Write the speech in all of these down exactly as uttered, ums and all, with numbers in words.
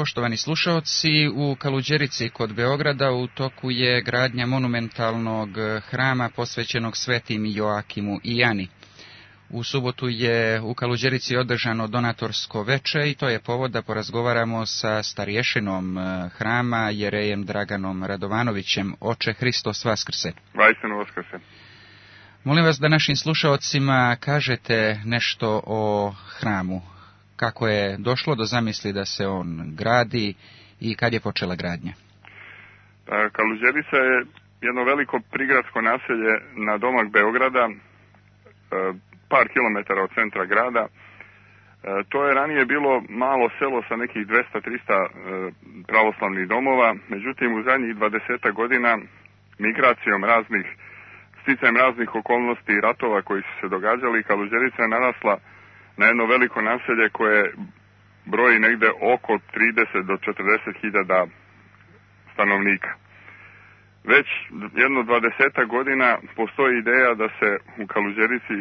Poštovani slušaoci, u Kaluđerici kod Beograda u toku je gradnja monumentalnog hrama posvećenog svetim Joakimu i Jani. U subotu je u Kaluđerici održano donatorsko veče i to je povod da porazgovaramo sa starješinom hrama, jerejem Draganom Radovanovićem. Oče, Hristos vaskrse. Vajstinu vaskrse. Molim vas da našim slušaocima kažete nešto o hramu. Kako je došlo do zamisli da se on gradi i kad je počela gradnja? Kaluđerica je jedno veliko prigradsko naselje na domak Beograda, par kilometara od centra grada. To je ranije bilo malo selo sa nekih dvesta do trista pravoslavnih domova, međutim u zadnjih dvadesetak godina migracijom raznih, sticajem raznih okolnosti i ratova koji su se događali, Kaluđerica je narasla na jedno veliko naselje koje broji negde oko trideset do četrdeset hiljada stanovnika. Već jedno dvadesetak godina postoji ideja da se u Kaluđerici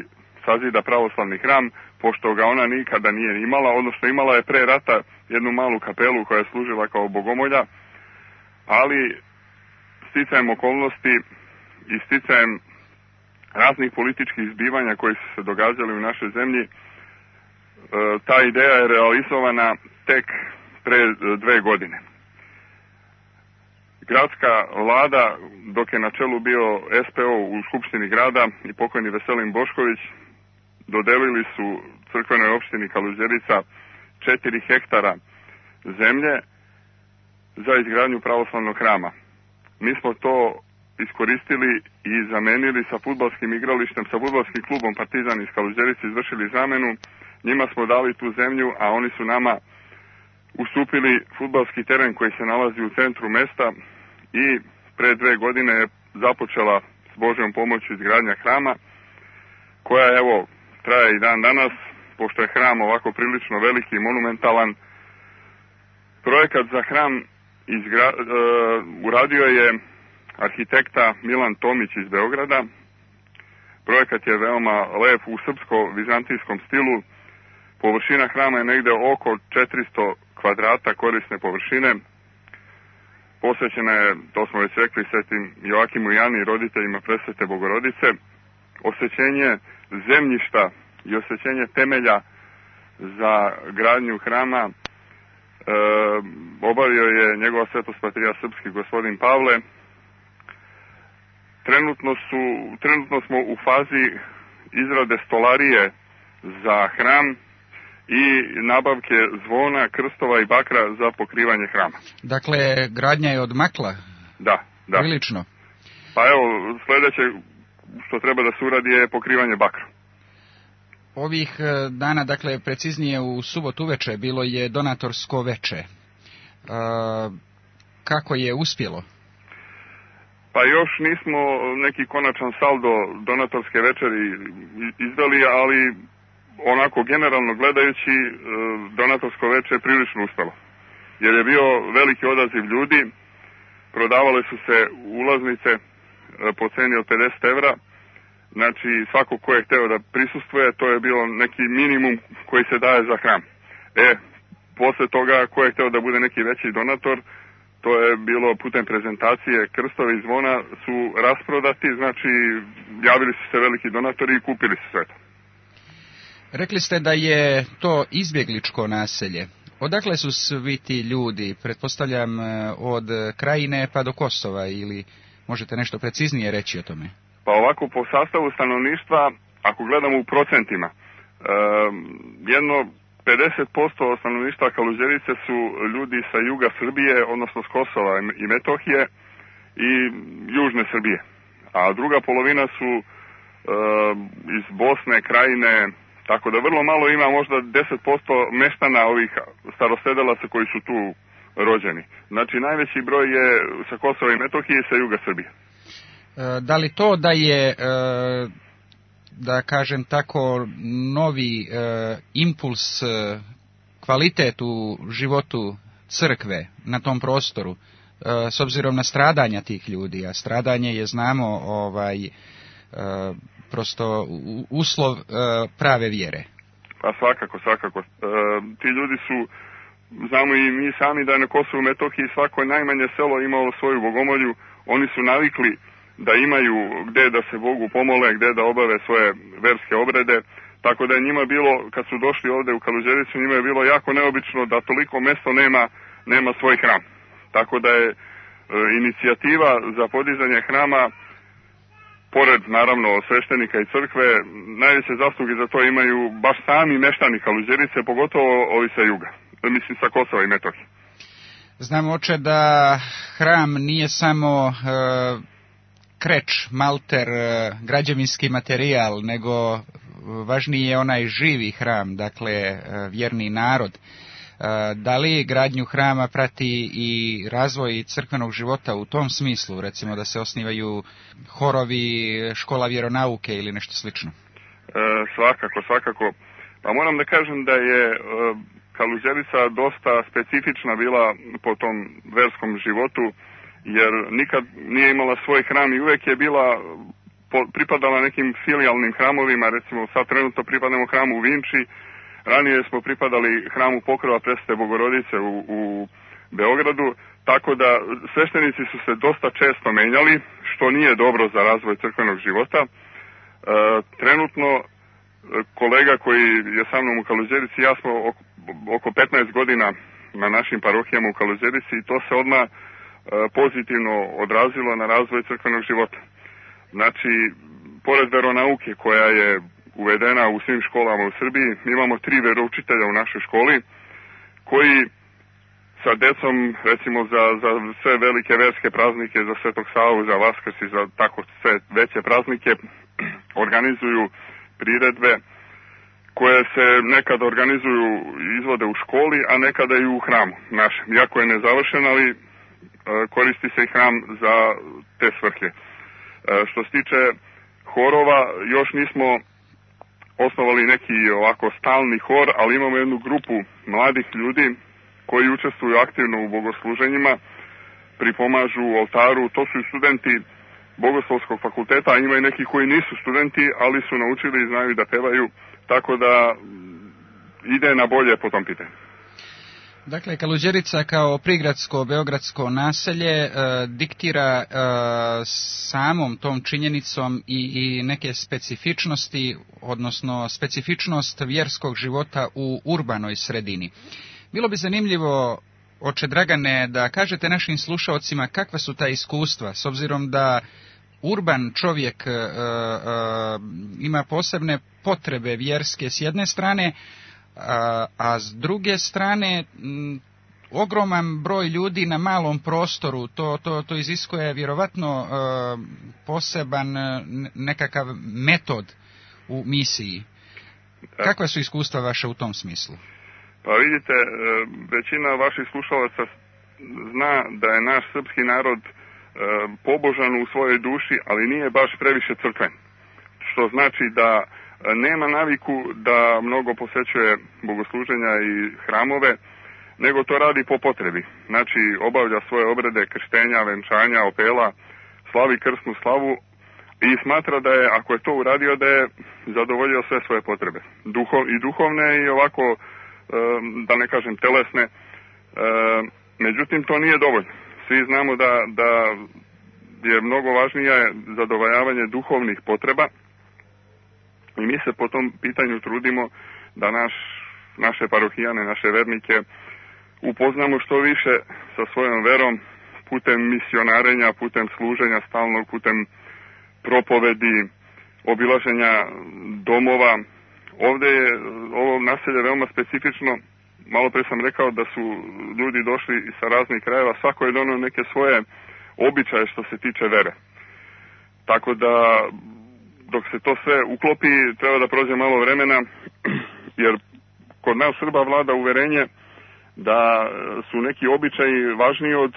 sazida pravoslavni hram, pošto ga ona nikada nije imala, odnosno imala je pre rata jednu malu kapelu koja je služila kao bogomolja, ali sticajem okolnosti i sticajem raznih političkih zbivanja koji su se događali u našoj zemlji, ta ideja je realizovana tek pre dve godine. Gradska vlada, dok je na čelu bio S P O u Skupštini grada i pokojni Veselin Bošković, dodelili su crkvenoj opštini Kaluđerica četiri hektara zemlje za izgradnju pravoslavnog hrama. Mi smo to iskoristili i zamenili sa fudbalskim igralištem, sa fudbalskim klubom Partizan iz Kaluđerice, izvršili zamenu. Njima smo dali tu zemlju, a oni su nama ustupili fudbalski teren koji se nalazi u centru mesta i pre dve godine je započela s Božjom pomoću izgradnja hrama, koja evo traje i dan danas, pošto je hram ovako prilično veliki i monumentalan. Projekat za hram izgra, uh, uradio je arhitekta Milan Tomić iz Beograda. Projekat je veoma lep u srpsko-vizantijskom stilu. Površina hrama je negde oko četiristo kvadrata korisne površine. Posvećena je, to smo već rekli, svetim Joakimu i Jani, roditeljima Presvete Bogorodice. Osvećenje zemljišta i osvećenje temelja za gradnju hrama e, obavio je njegova svetost patrijarh srpski gospodin Pavle. Trenutno, su, trenutno smo u fazi izrade stolarije za hram i nabavke zvona, krstova i bakra za pokrivanje hrama. Dakle, gradnja je odmakla? Da, da. Prilično. Pa evo, sledeće što treba da se uradi je pokrivanje bakra. Ovih dana, dakle, preciznije u subotu uveče, bilo je donatorsko veče. E, kako je uspjelo? Pa još nismo neki konačan saldo donatorske večeri izdali, ali onako generalno gledajući donatorsko veče je prilično uspelo. Jer je bio veliki odaziv ljudi, prodavale su se ulaznice po ceni od pedeset evra, znači svako ko je hteo da prisustvuje, to je bilo neki minimum koji se daje za hram. E, posle toga ko je hteo da bude neki veći donator, to je bilo putem prezentacije, krstovi i zvona su rasprodati, znači javili su se veliki donatori i kupili su sve to. Rekli ste da je to izbjegličko naselje. Odakle su svi ti ljudi, pretpostavljam od Krajine pa do Kosova, ili možete nešto preciznije reći o tome? Pa ovako, po sastavu stanovništva, ako gledamo u procentima, jedno pedeset posto stanovništva Kaluđerice su ljudi sa juga Srbije, odnosno s Kosova i Metohije i južne Srbije. A druga polovina su e, iz Bosne, Krajine, tako da vrlo malo ima, možda deset posto meštana ovih starosedelaca koji su tu rođeni. Znači najveći broj je sa Kosova i Metohije i sa juga Srbije. E, da li to da je... E... da kažem tako, novi e, impuls, e, kvalitet u životu crkve na tom prostoru, e, s obzirom na stradanja tih ljudi, a stradanje je, znamo, ovaj, e, prosto uslov e, prave vjere. Pa svakako, svakako. E, ti ljudi su znamo i mi sami da je na Kosovu i Metohiji svako najmanje selo imalo svoju bogomolju, oni su navikli da imaju gde da se Bogu pomole, gde da obave svoje verske obrede, tako da je njima bilo, kad su došli ovde u Kaluđericu, njima je bilo jako neobično da toliko mesto nema, nema svoj hram. Tako da je e, inicijativa za podizanje hrama, pored naravno sveštenika i crkve, najveće zasluge za to imaju baš sami meštani Kaluđerice, pogotovo ovi sa juga, mislim sa Kosova i Metohije. Znamo, oče, da hram nije samo e, kreč, malter, e, građevinski materijal, nego važniji je onaj živi hram, dakle e, vjerni narod. E, da li gradnju hrama prati i razvoj crkvenog života u tom smislu, recimo da se osnivaju horovi, škola vjeronauke ili nešto slično? E, svakako, svakako. Pa moram da kažem da je e, Kaluđerica dosta specifična bila po tom verskom životu, jer nikad nije imala svoj hram i uvek je bila, po, pripadala nekim filijalnim hramovima, recimo sad trenutno pripadamo hramu u Vinči, ranije smo pripadali hramu Pokrova Presvete Bogorodice u, u Beogradu, tako da sveštenici su se dosta često menjali, što nije dobro za razvoj crkvenog života. E, trenutno kolega koji je sa mnom u Kaluđerici, ja smo oko, oko petnaest godina na našim parohijama u Kaluđerici i to se odmah e, pozitivno odrazilo na razvoj crkvenog života. Znači, pored veronauke koja je uvedena u svim školama u Srbiji, mi imamo tri veroučitelja u našoj školi koji sa decom, recimo za, za sve velike verske praznike, za Svetog Savu, za Vaskrs i za tako sve veće praznike, organizuju priredbe koje se nekada organizuju i izvode u školi, a nekada i u hramu našem. Iako je nezavršen, ali e, koristi se i hram za te svrhe. E, što se tiče horova, još nismo osnovali neki ovako stalni hor, ali imamo jednu grupu mladih ljudi koji učestvuju aktivno u bogosluženjima, pripomažu u oltaru. To su i studenti Bogoslovskog fakulteta, a ima i neki koji nisu studenti, ali su naučili i znaju da pevaju, tako da ide na bolje po tom pitanju. Dakle, Kaluđerica kao prigradsko beogradsko naselje e, diktira e, samom tom činjenicom i, i neke specifičnosti, odnosno specifičnost vjerskog života u urbanoj sredini. Bilo bi zanimljivo, oče Dragane, da kažete našim slušaocima kakva su ta iskustva, s obzirom da urban čovjek e, e, ima posebne potrebe vjerske s jedne strane, a, a s druge strane m, ogroman broj ljudi na malom prostoru, to, to, to iziskuje vjerovatno e, poseban nekakav metod u misiji. Kakva su iskustva vaše u tom smislu? Pa vidite, većina vaših slušalaca zna da je naš srpski narod pobožan u svojoj duši, ali nije baš previše crkven. Što znači da nema naviku da mnogo posećuje bogosluženja i hramove, nego to radi po potrebi. Znači, obavlja svoje obrede krštenja, venčanja, opela, slavi krsnu slavu i smatra da je, ako je to uradio, da je zadovoljio sve svoje potrebe. Duhov, i duhovne i ovako, da ne kažem telesne, međutim to nije dovoljno. Svi znamo da, da je mnogo važnije zadovoljavanje duhovnih potreba i mi se po tom pitanju trudimo da naš, naše parohijane, naše vernike upoznamo što više sa svojom verom putem misionarenja, putem služenja stalnog, putem propovedi, obilaženja domova. Ovde je ovo naselje veoma specifično. Malo pre sam rekao da su ljudi došli sa raznih krajeva, svako je donio neke svoje običaje što se tiče vere. Tako da dok se to sve uklopi treba da prođe malo vremena, jer kod nas Srba vlada uverenje da su neki običaji važniji od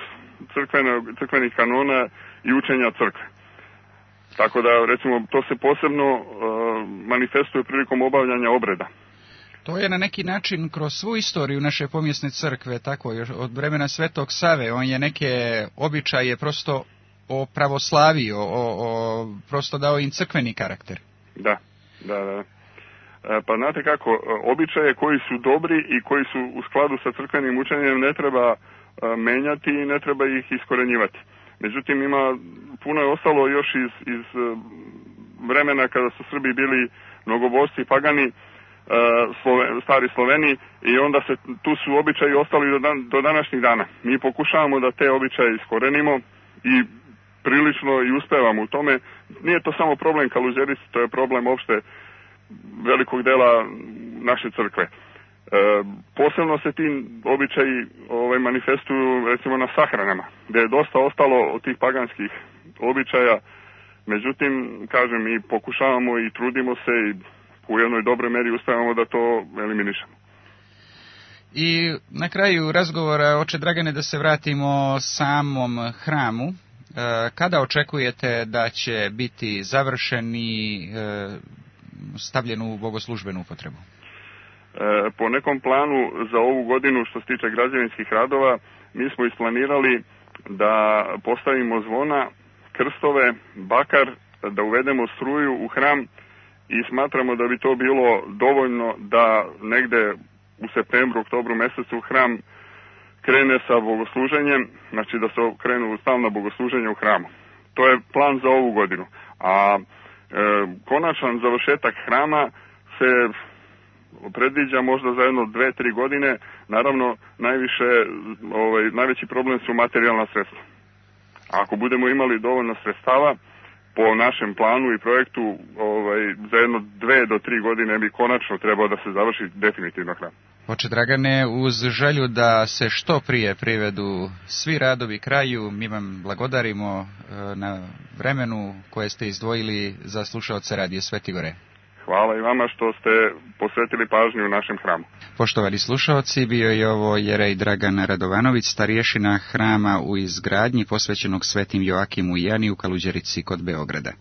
crkvenog, crkvenih kanona i učenja crkve. Tako da, recimo, to se posebno uh, manifestuje prilikom obavljanja obreda. To je na neki način kroz svu istoriju naše pomjesne crkve, tako, još od vremena Svetog Save, on je neke običaje prosto opravoslavio, o, o, prosto dao im crkveni karakter. Da, da, da. Pa znate kako, običaje koji su dobri i koji su u skladu sa crkvenim učenjem ne treba menjati i ne treba ih iskorenjivati. Međutim, ima, puno je ostalo još iz, iz vremena kada su Srbi bili mnogobožci, pagani, Slove, stari Sloveni, i onda se tu su običaji ostali do, dan, do današnjih dana. Mi pokušavamo da te običaje iskorenimo i prilično i uspevamo u tome. Nije to samo problem Kaluđerice, to je problem opšte velikog dela naše crkve. E, posebno se ti običaji ovaj, manifestuju recimo na sahranama, gde je dosta ostalo od tih paganskih običaja. Međutim, kažem, mi pokušavamo i trudimo se i u jednoj dobroj meri uspevamo da to eliminišemo. I na kraju razgovora, oče Dragane, da se vratimo samom hramu. E, kada očekujete da će biti završen i e, stavljen u bogoslužbenu upotrebu? E, po nekom planu za ovu godinu, što se tiče građevinskih radova, mi smo isplanirali da postavimo zvona, krstove, bakar, da uvedemo struju u hram i smatramo da bi to bilo dovoljno da negde u septembru, oktobru mesecu hram krene sa bogosluženjem, znači da se krenu stalna bogosluženja u hramu. To je plan za ovu godinu. A e, konačan završetak hrama se predviđa možda za jedno dve, tri godine. Naravno, najviše, ovaj, najveći problem su materijalna sredstva. Ako budemo imali dovoljno sredstava, po našem planu i projektu, ovaj, za jedno dve do tri godine bi konačno trebao da se završi definitivno hram. Oče Dragane, uz želju da se što prije privedu svi radovi kraju, mi vam blagodarimo na vremenu koje ste izdvojili za slušaoce Radio Sveti Gore. Hvala i vama što ste posvetili pažnju u našem hramu. Poštovani slušaoci, bio je ovo jerej Dragan Radovanović, starješina hrama u izgradnji posvećenog svetim Joakimu i Jani u Kaluđerici kod Beograda.